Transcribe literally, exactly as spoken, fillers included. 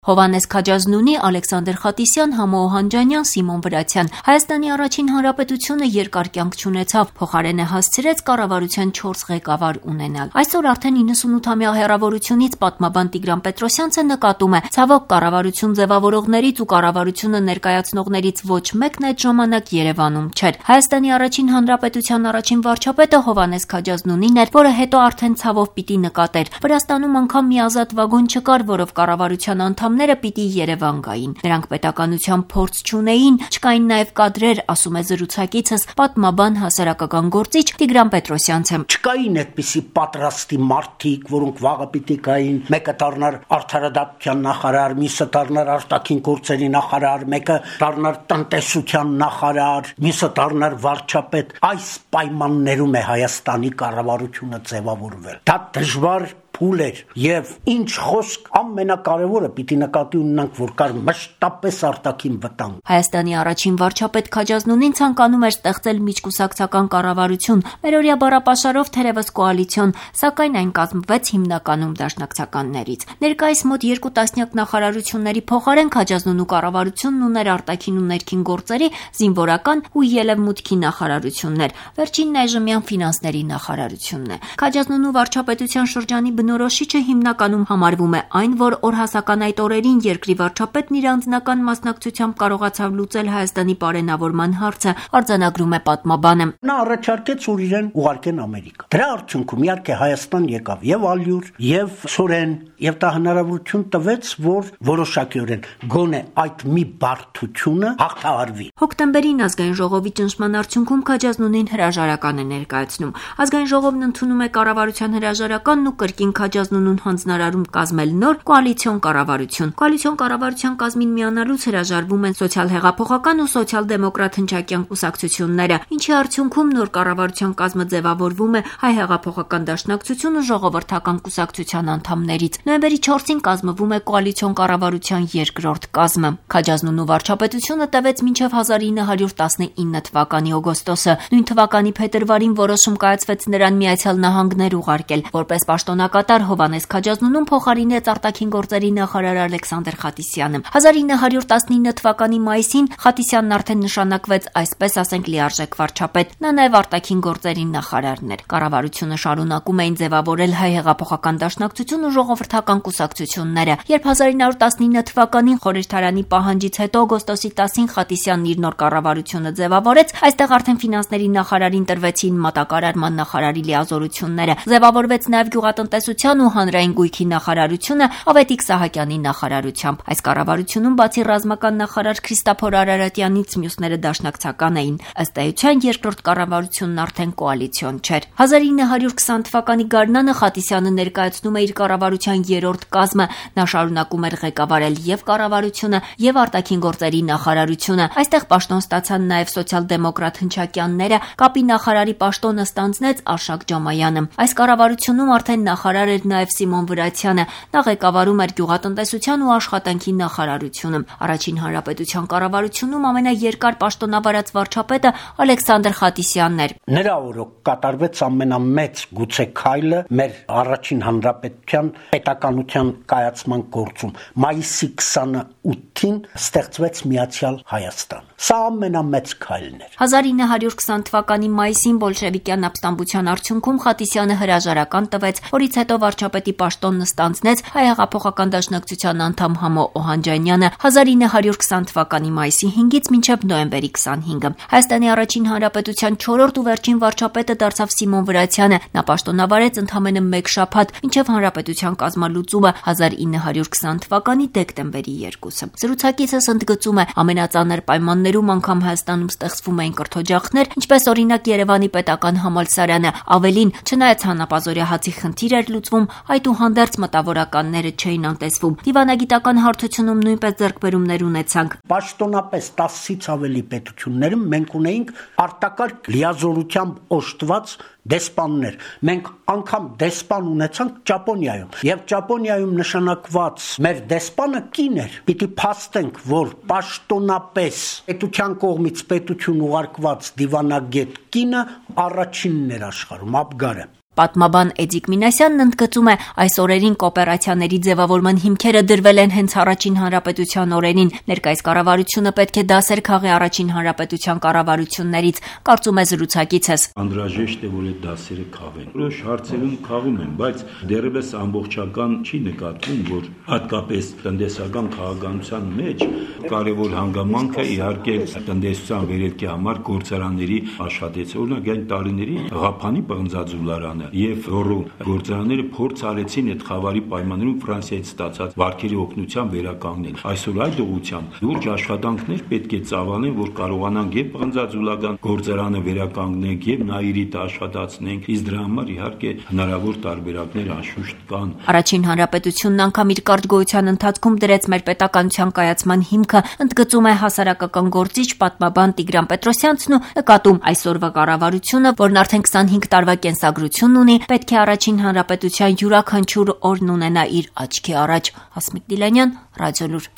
Հովհաննես Քաջազնունի, Ալեքսանդր Խատիսյան, Համո Օհանջանյան, Սիմոն Վրացյան։ Հայաստանի առաջին հանրապետությունը երկար կյանք չունեցավ, փոխարենը հասցրեց կառավարության չորս ղեկավար ունենալ։ Այսօր արդեն իննսունութամյա հեռավորությունից պատմաբան Տիգրան Պետրոսյանցը նկատում է, ցավոք կառավարություն ձևավորողներից ու կառավարությունը ներկայացնողներից ոչ մեկն այդ ժամանակ Երևանում չէր։ Հայաստանի առաջին հանրապետության առաջին վարչապետը Հովհաննես Քաջազնունին էր, որը հետո արդեն ցավով պիտի նկատեր։ Վրաստանում անգամ մի ազատ վագոն չկար, որով կառավարության անդամները պիտի Երևան գային։ Նրանք պետականության փորձ չունեին, չկային նաև կադրեր, ասում է զրուցակիցս պատմաբան հասարակական գործիչ Տիգրան Պետրոսյանցը։ Չկային այդպիսի պատրաստի մարդիկ, որոնք վաղը պիտի կային, մեկը դառնար արդարադատության նախարար, մյուսը դառնար արտաքին գործերի նախարար, մեկը դառնար տնտեսության նախարար, մյուսը դառնար վարչապետ։ Այս պայմաններում է Հայաստանի կառավարությունը ձևավորվել։ Դա դժվար փուլ էր եւ ինչ խոսք ամենակարևորը պիտի նկատի ունենանք, որ կար մշտապես արտաքին վտանգ։ Հայաստանի առաջին վարչապետ Քաջազնունին ցանկանում էր ստեղծել միջկուսակցական կառավարություն, մերօրյա բառապաշարով թերևս կոալիցիոն, սակայն այն կազմվեց հիմնականում դաշնակցականներից։ Ներկայիս մոտ երկու տասնյակ նախարարությունների փոխարեն Քաջազնունու կառավարությունն ուներ արտաքին ու ներքին գործերի, զինվորական ու ելևմուտքի նախարարություններ։ Վերջինն այժմյան ֆինանսների նախարարությունն է։ Քաջազնունու վարչապետության շրջանի բնորոշիչը հիմնականում համարվում է այն, որ օրհասական այդ օրերին երկրի վարչապետն իր անձնական մասնակցությամբ կարողացավ լուծել Հայաստանի պարենավորման հարցը, արձանագրում է պատմաբանը։ Նա առաջարկեց, որ իրեն ուղարկեն Ամերիկա։ Դրա արդյունքում իհարկե Հայաստան եկավ եւ ալյուր, եւ սորեն, եւ դա հնարավորություն տվեց, որ որոշակիորեն գոնե այդ մի բարդությունը հաղթահարվի։ Հոկտեմբերին ազգային ժողովի ճնշման արդյունքում Քաջազնունին հրաժարական է ներկայացնում։ Ազգային ժողովն ընդունում է կառավարության հրաժարականն ու կրկին Քաջազնունուն հանձնարարում կազմել նոր կոալիցիոն կառավարություն։ Կոալիցիոն կառավարության կազմին միանալուց հրաժարվում են սոցիալ-հեղափոխական ու սոցիալ-դեմոկրատ հնչակյան կուսակցությունները, ինչի արդյունքում նոր կառավարության կազմը ձևավորվում է Հայ հեղափոխական դաշնակցություն ու ժողովրդական կուսակցության անդամներից։ Նոյեմբերի չորսին կազմվում է կոալիցիոն կառավարության երկրորդ կազմը։ Քաջազնունու վարչապետությունը տևեց մինչև հազար ինը հարյուր տասնինը թվականի օգոստոսը։ Նույն թվականի փետրվարին որոշում կայացվեց նրան Միացյալ Նահանգներ ուղարկել, որպես պաշտոնակատար Հովհաննես Քաջազնունուն փոխարինեց արտաքին գործերի նախարար Ալեքսանդր Խատիսյանը։ հազար ինը հարյուր տասնինը թվականի մայիսին Խատիսյանն արդեն նշանակվեց, այսպես ասենք, լիարժեք վարչապետ։ Նա նաև արտաքին գործերի նախարարն էր։ Կառավարությունը շարունակում էին ձևավորել Հայ հեղափոխական դաշնակցություն ու ժողովրդական կուսակցությունները։ Երբ հազար ինը հարյուր տասնինը թվականին խորհրդարանի պահանջից հետո օգոստոսի տասին Խատիսյանն իր նոր կառավարությունը ձևավորեց, այստեղ արդեն ֆինանսների նախարարին տրվեցին մատակարարման նախարարի լիազորությունները։ Ձևավորվեց նաև գյուղատնտեսության ու հանրային գույքի նախարարությունը Ավետիք Սահակյանի նախարարությամբ։ Այս կառավարությունում բացի ռազմական նախարար Քրիստափոր Արարատյանից մյուսները դաշնակցական էին։ Ըստ էության երկրորդ կառավարությունն արդեն կոալիցիոն չէր։ հազար ինը հարյուր քսան թվականի գարնանը Խատիսյանը ներկայացնում է իր կառավարության երրորդ կազմը։ Նա շարունակում էր ղեկավարել եւ կառավարությունը, եւ արտաքին գործերի նախարարությունը։ Այստեղ պաշտոն ստացան նաև սոցիալ-դեմոկրատ հնչակյանները, կապի նախարարի պաշտոնը ստանձնեց Արշակ Ջամայանը։ Այս կառավարությունում արդեն նախարար էր նաև Սիմոն Վրացյանը։ Նա ղեկավարում էր գյուղատնտեսության ու աշխատանքի նախարարությունը։ Առաջին հանրապետության կառավարությունում ամենաերկար պաշտոնավարած վարչապետը Ալեքսանդր Խատիսյանն էր։ Նրա օրոք կատարվեց ամենամեծ գուցե քայլը մեր առաջին հանրապետության պետականության կայացման գործում։ Մայիսի քսանութին ստեղծվեց Միացյալ Հայաստան։ Սա ամենամեծ քայլն էր։ հազար ինը հարյուր քսան թվականի մայիսին բոլշևիկյան ապստամբության արդյունքում Խատիսյանը հրաժարական տվեց, որից հետո վարչապետի պաշտոնն ստանձնեց Հայ հեղափոխական դաշնակցության անդամ Համո Օհանջանյանը հազար ինը հարյուր քսան թվականի մայիսի հինգից մինչև նոյեմբերի քսանհինգը։ Հայաստանի առաջին հանրապետության չորրորդ ու վերջին վարչապետը դարձավ Սիմոն Վրացյանը։ Նա պաշտոնավարեց ընդամենը մեկ շաբաթ, մինչև հանրապետության կազմալուծումը հազար ինը հարյուր քսան թվականի դեկտեմբերի երկուսը։ Զրուցակիցս ընդգծում է, ամենածանր պայմաններում անգամ Հայաստանում ստեղծվում էին կրթօջախներ, ինչպես օրինակ Երևանի պետական համալսարանը։ Ավելին, չնայած հանապազօրյա հացի խնդիր էր լուծվում, այդուհանդերձ մտավորականները չէին անտեսվում։ Դիվանագիտական հարթությունում նույնպես ձեռքբերումներ ունեցանք։ Պաշտոնապես տասից ավելի պետություններում մենք ունեինք արտակարգ լիազորությամբ օժտված դեսպաններ։ Մենք անգամ դեսպան ունեցանք Ճապոնիայում, եւ Ճապոնիայում նշանակված մեր դեսպանը կին էր։ Պիտի փաստենք, որ պաշտոնապես պետության կողմից պետություն ուղարկված դիվանագետ կինը առաջինն էր աշխարհում, Աբգարը։ Պատմաբան Էդիկ Մինասյանն ընդգծում է, այս օրերին կոոպերացիաների ձևավորման հիմքերը դրվել են հենց առաջին հանրապետության օրերին, ներկայիս կառավարությունը պետք է դասեր քաղի առաջին հանրապետության կառավարություններից, կարծում է զրուցակիցս։ Անհրաժեշտ է, որ այդ դասերը քաղեն։ Որոշ հարցերում քաղում են, բայց դեռևս ամբողջական չի նկատվում, որ հատկապես տնտեսական քաղաքականության մեջ կարևոր հանգամանքը իհարկե տնտեսության վերելքի համար գործարանների աշխատեցը, օրինակ այն տարիների Ղափանի պղնձաձուլարանը եւ Ռորո գործարանները փորձ արեցին այդ խավարի պայմաններում Ֆրանսիայից ստացած վարկերի օգնությամբ վերականգնել։ Այսօր այդ ուղղությամբ լուրջ աշխատանքներ պետք է ծավալեն, որ կարողանանք եւ պղնձաձուլական գործարանը վերականգնենք եւ Նաիրիտը աշխատացնենք, իսկ դրա համար իհարկե հնարավոր տարբերակներ անշուշտ կան։ Առաջին հանրապետությունն անգամ իր կարճ գոյության ընթացքում դրեց մեր պետականության կայացման հիմքը, ընդգծում է հասարակական գործիչ պատմաբան Տիգրան Պետրոսյանցն ու նկատում այսօրվա կառավարությունը, որն արդեն քսանհինգ տարվա կենսագրություն ունի, պետք է առաջին հանրապետության յուրաքանչյուր օրն ունենա իր աչքի առաջ։ Հասմիկ Դիլանյան, Ռադիոլուր։